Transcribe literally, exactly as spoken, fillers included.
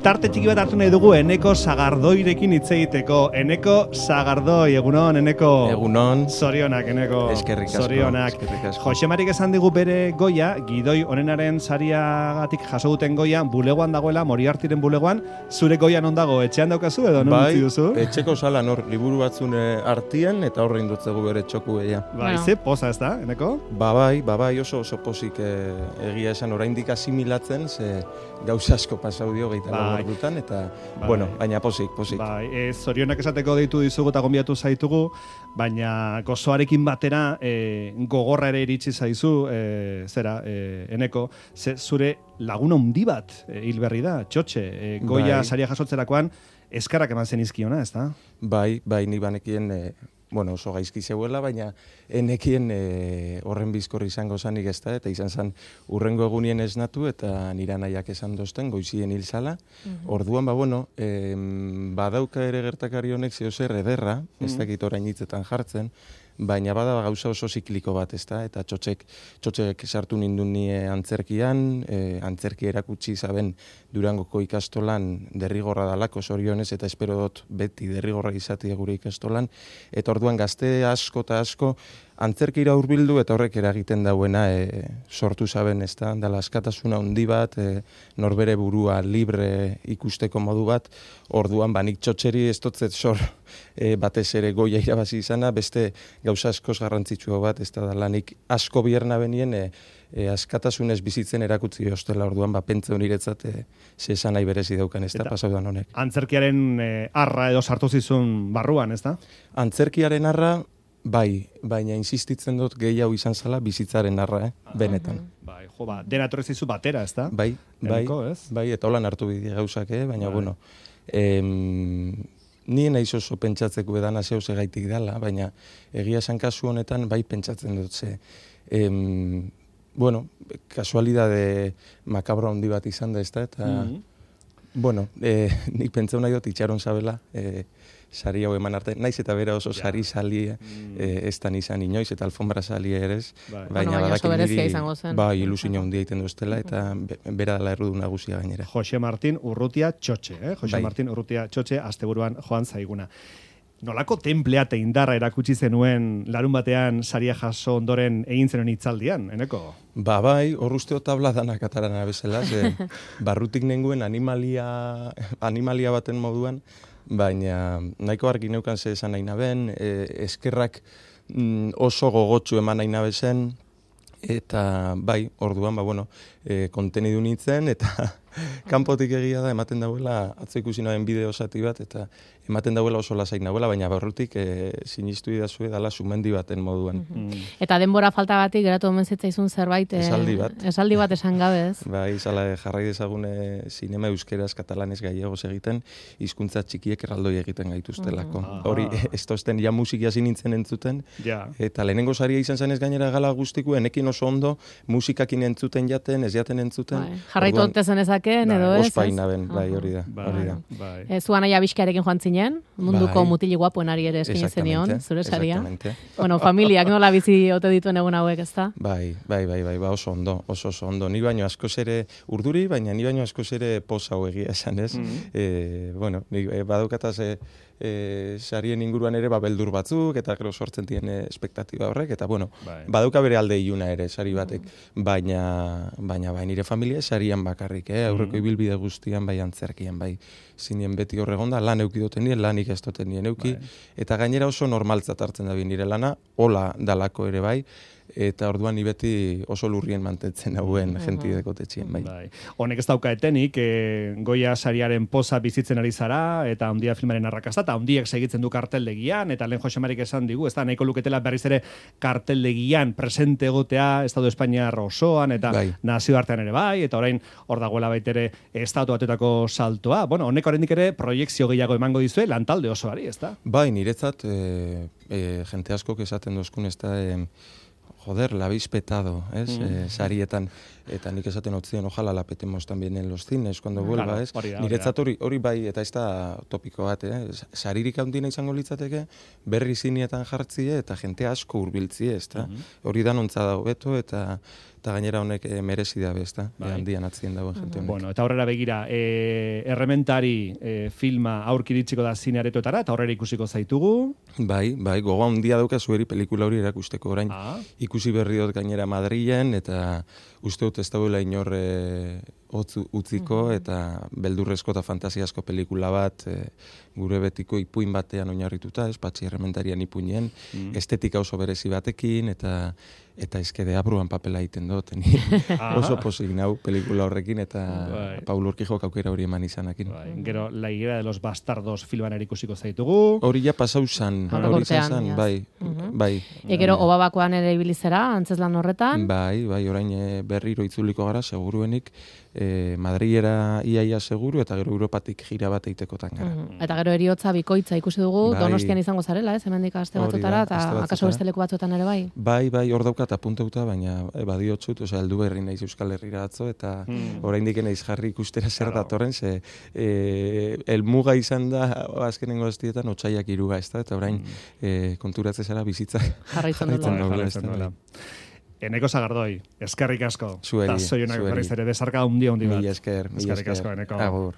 Tarte txiki bat hartu nahi dugu Eneko Sagardoirekin hitz egiteko. Eneko Sagardoi, egunon, Eneko. Egunon. Zorionak, Eneko. Eskerrik asko. Zorionak. Eskerrik asko. Jose Marik esan digu bere goia, gidoi onenaren sariagatik jaso duten goia, bulegoan dagoela, Moriartiren bulegoan. Zure goia non dago, etxean daukazu edo non utzi duzu? Bai, etxeko salan hor, liburu batzune artien, eta horrein dutzegu bere txoku eia. Bai, ze poza ez da, Eneko? Ba bai, ba bai, oso oso pozik eh, egia esan oraindik asimilatzen, ze gauza asko pasau dio gehieta bai. Dutan, eta, bai. Bueno, baina posik, posik. Bai, e, zorionak esateko deitu dizugu eta gonbiatu zaitugu, baina gozoarekin batera e, gogorra ere iritsi zaizu, e, zera, e, Eneko, ze, zure laguna handi bat e, hil berri da, Txotxe, e, goia bai. Saria jasotzerakoan, eskarrak eman zen izkiona, ez da? Bai, bai, ni banekien, e, bueno, oso gaizki zeuela, baina enekien e, horren bizkorri izango zanik ez da, eta izan zen urrengo egunien esnatu, eta nira nahiak esan dozten, goizien hil zala. Mm-hmm. Orduan, ba, bueno, e, badauka ere gertakari honek zeo zer ederra, mm-hmm. ez dakit orain hitzetan jartzen, baina bada gauza oso zikliko bat, ez da, eta txotxek, txotxek sartu nindun nie antzerkian, e, antzerki erakutsi zaben Durangoko ikastolan derrigorra dalako zorionez, eta espero dut beti derrigorra izatea gure ikastolan, eta orduan gazte asko eta asko antzerkira hurbildu eta horrek eragiten dauena e, sortu zaben, ez da, dala askatasuna handi bat, e, norbere burua libre ikusteko modu bat, orduan banik txotxeri ez dotzet sor e, batez ere goia irabazi izana, beste gauza askoz garrantzitsua bat, ez da, lanik asko bierna benien, e, E, askatasunez bizitzen erakutzi ostela orduan, ba, pentsa honiretzat e, ze esan nahi berezi daukan, ez da, pasaudan honek. Antzerkiaren e, arra edo sartu zizun barruan, ez da? Antzerkiaren arra, bai, baina insistitzen dut gehiago izan zala bizitzaren arra, eh? Ah, benetan. Bai, jo, ba, dena etorri batera, ez da? Bai, bai, Eneko, bai, eta holan hartu bide gauzak, eh? Baina, bai. Bueno, em, ni naiz oso pentsatzeko edana zeu segaitik dela, baina egia esan kasu honetan, bai pentsatzen dut ze. Em, Bueno, kasualidade makabro handi bat izan da, ez da, eta, mm-hmm. bueno, e, nik pentsau nahi dut itxaron zabela, e, sari hau eman arte, naiz eta bera oso sari ja. Sali mm. e, ez da nizan inoiz, eta alfombra sali ere ez, bai. baina bueno, badakin niri, bai, ilusio handia egiten duztela, eta bera dela errudu nagusia gainera. Jose Martin Urrutia Txotxe, eh? Jose bai. Martin Urrutia Txotxe, asteburuan joan zaiguna. Nolako templea eta indarra erakutsi zenuen larun batean saria jaso ondoren egin zenuen hitzaldian, Eneko? Ba bai, hor usteo tabla danak atarana bezala, ze barrutik nenguen animalia, animalia baten moduan, baina nahiko argi neukan ze esan nahi naben, e, eskerrak mm, oso gogotsu eman nahi nabezen, eta bai, orduan, ba bueno, e, kontenidu nintzen, eta kanpotik egia da, ematen dauela, atzo ikusi naben bideo zati bat, eta ematen dauela oso lasaik nagoela, baina barrutik e, sinistu idazue dala sumendi baten moduan. Mm-hmm. Eta denbora faltagatik geratu omen zitzaizun zerbait, e, esaldi bat. Esaldi bat esan gabez. Bai, zala jarrai dezagune zinema euskeraz, katalanez, gallegos egiten, hizkuntza txikiek erraldoi egiten gaituztelako. Mm-hmm. Hori, ez tozten ja musik hasi nintzen entzuten, ja. Eta lehenengo saria izan zanez gainera gala guztiku, enekin oso ondo, musikakin entzuten jaten, ez jaten entzuten. Bai. Jarraitu onte zenezaken, edo ez? Ospaina ben, bai, hori da. Bai, hori da. Bai. E, zuan aia bizkiarekin joan zinen, munduko bai. Mutili guapoen ari ere eskine zenion, zure saria. Bueno, familiak nola bizi ote dituen egun hauek, ez da? Bai, bai, bai, bai, ba, oso ondo, oso oso ondo. Ni baino askoz ere urduri, baina ni baino askoz ere poza hau egia esan, ez? Mm-hmm. E, bueno, ni e, badaukataz e, e, sarien inguruan ere ba, beldur batzuk, eta gero sortzen dien e, espektatiba horrek, eta bueno, bai. Badauka bere alde iluna ere, sari batek, baina, baina bai, nire familia sarian bakarrik, eh? Aurreko ibilbide guztian, bai antzerkian, bai zinien beti horregonda, lan eukidoten nien, lanik ez doten nien euki, bai. Eta gainera oso normaltzat hartzen da nire lana, hola dalako ere bai, eta orduan ni beti oso lurrien mantentzen hauen uh-huh. jenti dekotetxien, bai. bai. Honek ez dauka etenik, e, Goia sariaren poza bizitzen ari zara, eta Handia filmaren arrakasta, eta Handiak segitzen du karteldegian, eta lehen Jose Marik esan digu, ez da, nahiko luketela berriz ere karteldegian presente egotea, Estado Espainiar osoan, eta bai. Nazioartean ere bai, eta orain hor dagoela baitere Estatu Batuetako saltoa. Bueno, honek oraindik ere proiekzio gehiago emango dizue lantalde osoari, ez da? Bai, niretzat, e, e, jente askok esaten dozkun, ez da, e, joder, la habéis petado, ¿es? Mm. Eh, sarietan, eta nik esaten otzien, ojalá la petemos también en los cines, cuando mm, vuelva, ¿es? Claro, niretzat hori, hori bai, eta ez da topiko bat, eh? Saririk handina izango litzateke, berri zinietan jartzie, eta jente asko hurbiltzie, ez da? Mm-hmm. Hori da nontza da hobeto, eta eta gainera honek e, merezi da bezta, bai. e, handian atzien dagoen jente honek. Bueno, eta horrela begira, e, errementari e, filma aurkiritsiko da zine aretoetara, eta horrela ikusiko zaitugu. Bai, bai, gogoa handia dauka zueri pelikula hori erakusteko orain. Ah. Ikusi berri dut gainera Madrilen, eta uste dut ez dauela inor e, otzu, utziko, mm-hmm. eta beldurrezko eta fantasiazko pelikula bat, e, gure betiko ipuin batean oinarrituta, ez, patxi errementarian ipuinen, mm. estetika oso berezi batekin, eta eta izkede abruan papela egiten dut. Oso posik nau pelikula horrekin, eta bai. Paul Urquijok aukera hori eman izanakin. Bai. Gero, La higuera de los bastardos filman erikusiko zaitugu. Hori ja pasau zan, hori zan, bai, uh-huh. bai. E gero, Obabakoan ere ibilizera, antzeslan horretan? Bai, bai, orain e, berriro itzuliko gara, seguruenik, e, Madriera iaia seguru, eta gero Europatik gira bat eitekotan gara. Uh-huh. Eta gero eriotza bikoitza ikusi dugu, bai. Donostian izango zarela, ez, hemendik aste batzutara, eta akaso beste leku batzuetan ere bai? Bai, bai, hor daukat apuntauta, baina e, badiotzut, osea, heldu berri naiz Euskal Herrira atzo, eta hmm. oraindik naiz jarri ikustera zer claro. datorren, ze e, elmuga izan da, azkenengo aztietan, otsaiak iruga, ez da, eta orain hmm. e, konturatze zara bizitza. Jarraitzen dola. Eneko Sagardoi, eskerrik asko. Zueri, zueri. Eta zoionak berriz ere, besarka hundi hundi bat. Mila esker, mila esker. Eskerrik asko, Eneko. Agur.